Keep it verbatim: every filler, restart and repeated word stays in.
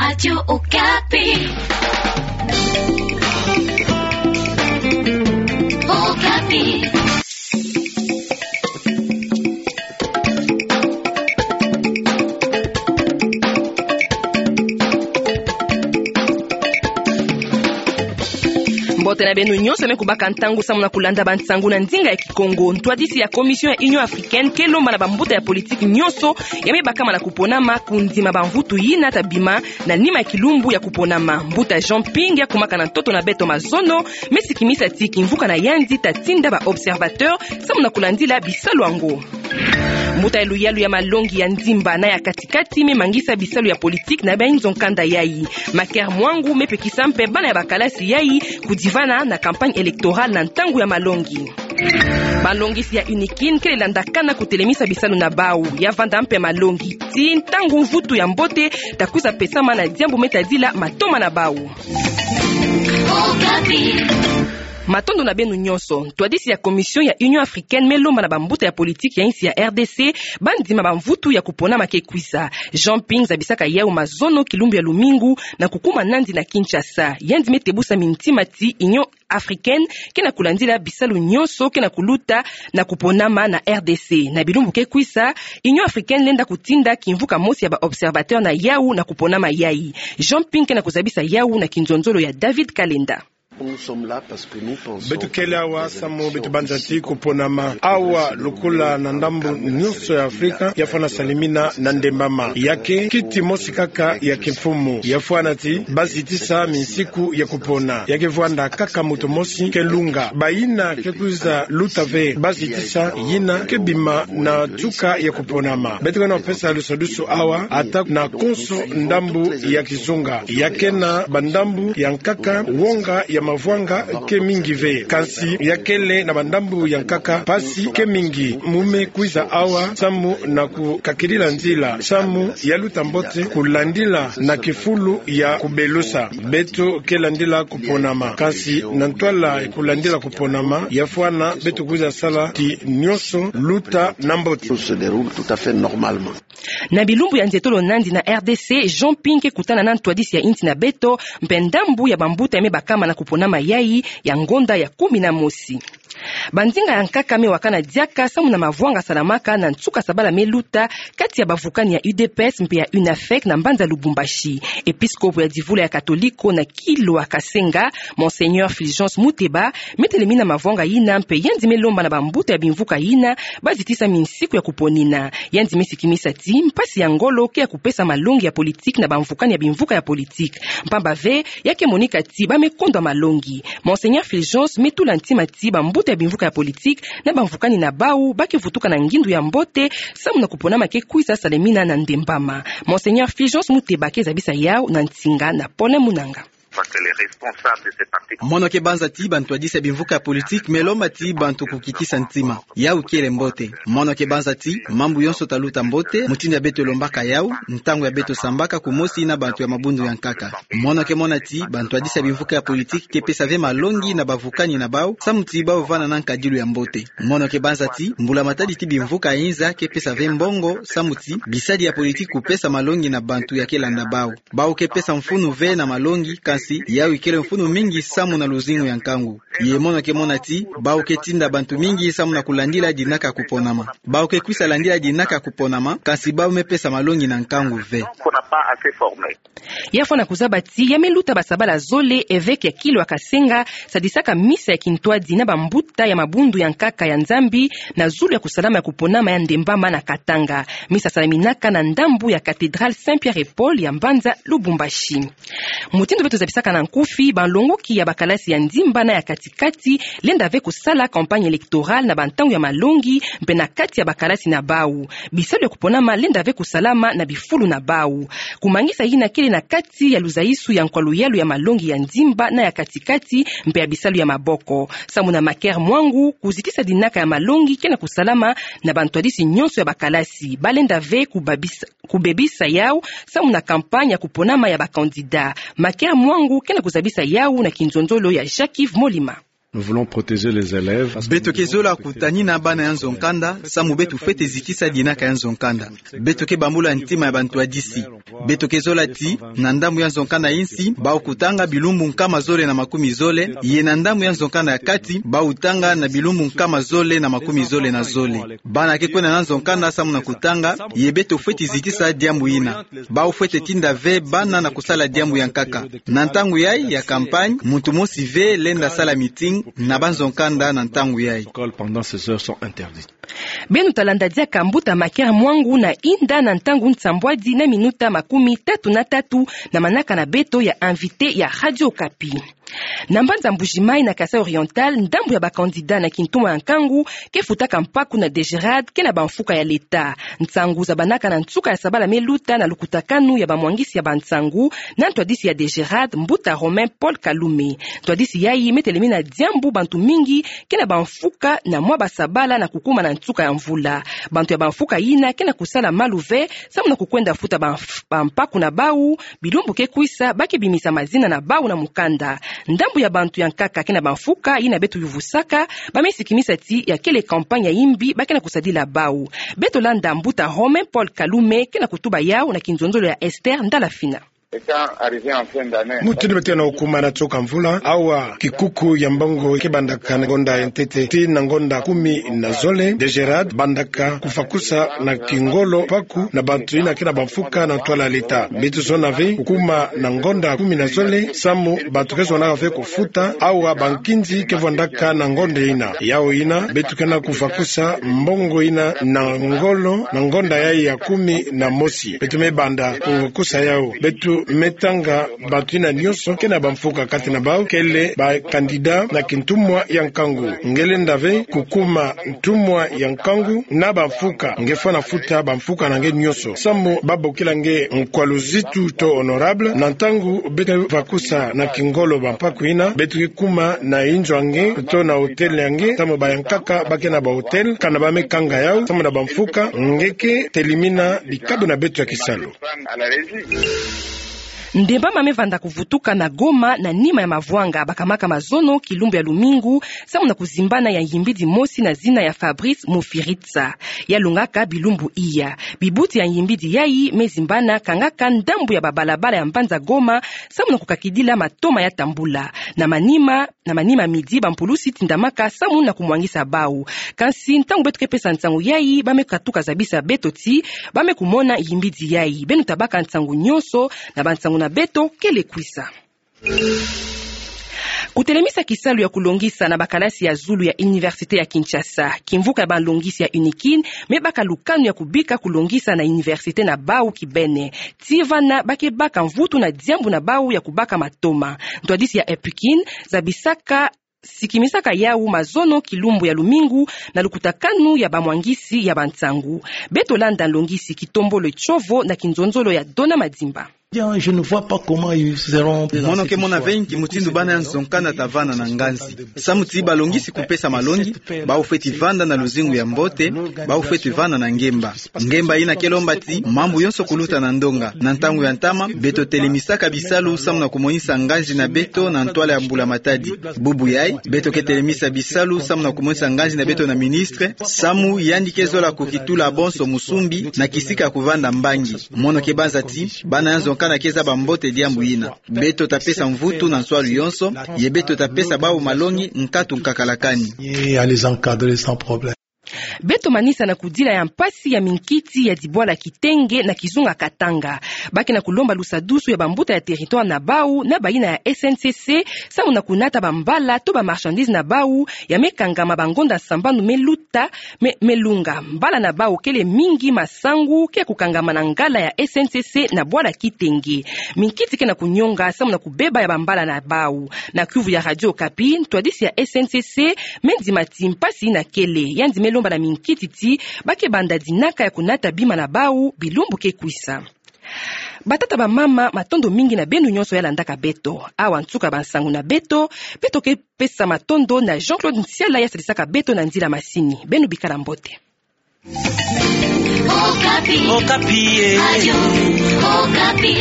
Radio Okapi. Okapi. Mbote na beno nyonso me kubaka ntangu samu na kulanda bansangu na ndinga ya Kikongo. Ntwadisi ya Commission ya Union Africaine ke lomba na bambuta ya politique nyonso ya me bakama na kuponama kundima bamvutu yina ta bima na nima ya kilumbu ya kuponama. Mbuta Jean Ping ya kumaka na ntoto na beto mazono, me sikimisa ti kimvuka na yandi ta tinda ba observateurs samu na kulandila bisalu yango. Mbuta ya luyalu ya malongi ya Ndimba na ya Katikati me mangisa bisalu ya politique na bainzo nkanda yayi. Maker Mwangu me pekisa mpe bana ya bakalasi yayi kudivana na campagne électorale na ntangu ya malongi. Balongisi ya UNIKIN kele landakana kutelemisa bisalu na bau. Ya vanda mpe malongi ti ntangu mvutu ya mbote ta kwiza pesama na diambu me tadila matoma na bau. Matondo na beno nyonso. Ntwadisi ya Commission ya Union Africaine me lomba na bambuta ya politique ya insi ya R D C bandima bamvutu ya kuponama ke kwiza. Jean Ping zabisaka yau mazono kilumbu ya lumingu na kukuma nandi na Kinshasa. Yandi me tebusa mintima ti Union Africaine ke na kulandila bisalu nyonso ke na kuluta na kuponama na R D C. Na bilumbu ke kwiza, Union Africaine lenda kutinda kimvuka mosi ya ba observateurs na yau na kuponama yayi. Jean Ping ke na kuzabisa yau na kinzonzolo ya David Kalenda. Beto kele awa samu beto banza ti kuponama awa lokola na ndambu nyonso ya Afrika ya fwana salimina na ndembama. Ya ke kiti mosi kaka ya kimfumu. Ya fwana ti bazitisa minsiku ya kupona. Ya ke vwanda kaka moto mosi ke lunga. Bayina ke kwiza luta ve bazitisa yina ke bima na tuka ya kuponama. Beto ke na pesa lusadusu awa ata na konso ndambu ya kizunga. Ya ke na bandambu ya nkaka, wonga ya mavwanga ke mingi ve. Kansi ya kele na bandambu ya nkaka, mpasi ke mingi. Mu me kwiza awa samu na kukakilila nzila samu ya luta mbote kulandila na kifulu ya kubelusa. Beto ke landila kuponama. Kansi na ntwala ya kulandila kuponama, ya fwana beto kwiza sala ti nyonso luta na mbote. Tout se déroule tout à fait normalement. Na bilumbu ya nzietolo nandi na R D C, Jean Ping ke kutana na ntwadisi ya insi na beto, mpe ndambu ya bambuta ya me bakama na kuponama yayi ya ngonda ya kumi na mosi. Bandinga ya nkaka me wakana diaka samu na mavwanga salamaka na nsuka sabala me luta kati ya bavukani ya U D P S mpe ya UNAFEC na mbanza Lubumbashi. Episkopo ya divula ya Katoliko na Kilwa Kasenga, Monseigneur Fulgence Muteba, me telemina mavwanga yina mpe yandi me lomba na bambuta ya bimvuka yina bazitisa minsiku ya kuponina. Yandi me sikimisa ti mpasi ya ngolo ke ya kupesa malongi ya politique na bamvukani ya bimvuka ya politique. Mpamba ve, ya ke monika ti ba me kondwa malongi. Monseigneur Fulgence me tula ntima ti bambuta ya bimvuka ya politique na bamvukani na bau ba ke vutuka na ngindu ya mbote samu na kuponama ke kwiza salemina na ndembama. Monseigneur Fulgence Muteba ke zabisa yau na nsinga na Paulin Munanga. Parce que les responsables de ces partis. Mono ke banza ti bantwadisi ya bimvuka ya politique me lomba ti bantu kukitisa ntima. Yau kele mbote. Mono ke banza ti mambu yonso ta luta mbote, mutindu ya beto lombaka yau, ntangu ya beto sambaka kumosi na bantu ya mabundu ya nkaka. Mono ke mona ti bantwadisi ya bimvuka ya politique ke pesa ve malongi na bavukani na bau, samu ti bau vana na nkadilu ya mbote. Mono ke banza ti mbula matadi ti bimvuka ya inza ke pesa ve mbongo, samu ti bisadi ya politique kupesa malongi na bantu ya ke landa bau. Bau ke pesa mfunu ve na malongi, kansi yau ikele mfunu mingi samu na luzingu ya nkangu. Ye mono ke mona ti bau ke tinda bantu mingi samu na kulandila dinaka kuponama. Bau ke kwisa landila dinaka kuponama, kansi bau me pesa malongi na nkangu ve. Ya fwana kuzaba ti ya me luta basabala zole, evêque ya Kilwa Kasenga sadisaka misa ya kintwadi na bambuta ya mabundu ya nkaka ya Nzambi na zulu ya kusalama ya kuponama ya ndembama na Katanga. Misa salaminaka na ndambu ya cathédrale Saint Pierre et Paul ya mbanza Lubumbashi. Mutindu beto zabisaka na nkufi, balongoki ya bakalasi ya Ndimba na ya Katikati lenda ve kusala campagne électorale na bantangu ya malongi, mpe na kati ya bakalasi na bau. Bisalu ya kuponama lenda ve kusalama na bifulu na bau. Kumangisa yina kele na kati ya luzaisu ya nkwa luyalu ya malongi ya Ndimba na ya Katikati, mpe ya bisalu ya maboko. Samu na Maker Mwangu, kuzitisa dinaka ya malongi ke na kusalama na bantwadisi nyonso ya bakalasi. Ba lenda ve kubabisa kubebisa yau samu na campagne ya kuponama ya ba candidats. Maker Mwangu ke na kuzabisa yau na kinzonzolo ya Jacques-Yves Molima. Nous voulons protéger les élèves. Beto ke zola kutanina bana ya nzo-nkanda, samu beto fwete zikisa dinaka ya nzo-nkanda. Beto ke bambula ntima ya bantwadisi. Beto ke zola ti, na ndambu ya nzo-nkanda insi, bau kutanga bilumbu nkama zole na makumi zole, ye na ndambu ya nzo-nkanda ya kati, bau tanga na bilumbu nkama zole na makumi zole na zole. Bana ke kwenda na nzo-nkanda samu na kutanga, ye beto fwete zikisa diambu yina. Bau fwete tinda ve bana na kusala diambu ya nkaka. Na ntangu yayi ya campagne, muntu mosi ve lenda sala meeting na banzo-nkanda na ntangu yayi. Écoles pendant ces heures sont interdites. Beno talanda diaka mbuta Maker Mwangu na inda na ntangu nsambwadi na minuta makumi tatu na tatu na manaka na beto ya invité ya Radio Okapi. Na mbanza Mbuji-Mayi na Kasaï Oriental, ndambu ya ba candidats na kintumwa ya nkangu ke futaka mpaku na DGRAD ke na bamfuka ya leta. Nsangu zabanaka na nsuka ya sabala me luta na lukutakanu ya bamwangisi ya bansangu na ntwadisi ya DGRAD, mbuta Romain Paul Kalume. Ntwadisi yayi me telemina diambu bantu mingi ke na bamfuka na mwa basabala na kukuma na nsuka ya mvula. Bantu ya bamfuka yina ke na kusala malu ve, samu na kukwenda futa bamf-, bampaku na bau, bilumbu ke kwisa, ba ke bimisa mazina na bau na mukanda. Ndambu ya bantu ya nkaka ke na bamfuka yina beto yuvusaka, ba me sikimisa ti ya kele campagne ya yimbi ba ke na kusadila bau. Beto landa mbuta Romain Paul Kalume ke na kutuba yau na kinzonzolo ya Esther Ndalafina. Mutindu beto ke na kukuma na nsuka mvula, awa kikuku ya mbongo ke bandaka na ngonda ya ntete tii na ngonda kumi na zole, DGRAD bandaka kufakusa na kingolo mpaku na bantu yina ke na bamfuka na ntwala leta. Beto zona ve kukuma na ngonda kumi na zole, samu bantu ke zonaka ve kufuta, awa bankinzi ke vwandaka na ngonda yina. Yau yina, beto ke na kufakusa mbongo yina na ngolo, na ngonda yayi ya kumi na mosi. Beto me banda kukusa yau. Beto me tanga bantu yina nyonso ke na bamfuka kati na bau kele ba candidats na kintumwa ya nkangu. Nge lenda ve kukuma ntumwa ya nkangu na bamfuka, nge fwana futa bamfuka na nge nyonso. Samu ba bokila nge nkwaluzitu to honorable, na ntangu beto ke fakusa na kingolo bampaku yina, beto ke kuma na inzo ya nge to na hôtel ya nge, samu ba ya nkaka ba ke na ba hôtel, kana ba me kanga yau, samu na bamfuka, nge ke telemina bikabu na beto ya kisalu. Ndemba ma me vanda kuvutuka na Goma na nima ya mavwanga bakamaka mazono kilumbu ya lumingu, samu na kuzimbana ya ngimbidi mosi na zina ya Fabrice Mufiritsa. Ya lungaka bilumbu iya. Bibuti ya ngimbidi yayi me zimbana kangaka ndambu ya babalabala ya mbanza Goma, samu na kukakidila matoma ya tambula. Na manima, na manima midi, bampulusi tindamaka samu na kumwangisa bau. Kansi ntangu beto ke pesa nsangu yayi, ba me katuka zabisa beto ti ba me kumona ngimbidi yayi. Beno tabaka nsangu nyonso na bansangu na beto kele kwisa. Kutelemisa kisalu ya kulongisa na bakalasi ya zulu ya Université ya Kinshasa. Kimvuka ya balongisi ya UNIKIN me baka lukanu ya kubika kulongisa na université na bau kibeni. Ti vana ba ke baka mvutu na diambu na bau ya kubaka matoma. Ntwadisi ya UNIKIN zabisaka, sikimisaka yau mazono kilumbu ya lumingu na lukutakanu ya bamwangisi ya bansangu. Beto landa nlongisi Kitombolo Tiovo na kinzonzolo ya Dona Madimba. Je ne vois pas comment ils seront. Mono ke mona ve nki mutindu bana ya nzo-nkanda ta vanda na nganzi. Samu ti balongisi kupesa malongi, bau fweti vanda na luzingu ya mbote, bau fweti vanda na ngemba. Ngemba yina ke lomba ti mambu yonso kuluta na ndonga. Na ntangu ya ntama, beto telemisaka bisalu samu na kumonisa nganzi na beto na ntwala ya Mbula Matadi. Bubu yayi, beto ke telemisa bisalu samu na kumonisa nganzi na beto na ministre, samu yandi ke zola kukitula bonso musumbi na kisika kuvanda mbangi. Mono ke banza ti bana ya nzo-nkanda ke zaba mbote diambu yina. Beto tapesa mvutu na nswalu yonso, ye beto tapesa bau malongi nkatu nkakalakani. Et à les encadrer sans problème. Beto manisa na kudila ya mpasi ya minkiti ya dibwala Kitenge na kizunga Katanga. Ba ke na kulomba lusadusu ya bambuta ya territoire na bau na bayina ya S N C C, samu na kunata bambala to ba marchandises na bau ya me kangama bangonda sambanu me luta, me, me lunga. Mbala na bau kele mingi masangu ke kukangama na ngala ya S N C C na bwala Kitenge. Minkiti ke na kunyonga samu na kubeba ya bambala na bau. Na kiuvu ya Radio Okapi, ntwadisi ya S N C C me ndima ti mpasi yina kele, yandi me lomba na minkiti ti ba ke banda dinaka ya kunata bima na bau bilumbu ke kwisa. Batata, bamama, matondo mingi na beno nyonso ya landaka beto. Awa nsuka bansangu na beto, beto ke pesa matondo na Jean-Claude Nsiala ya sadisaka beto na nzila masini. Beno bikala mbote. Okapi. Okapi, eh. Radio Okapi.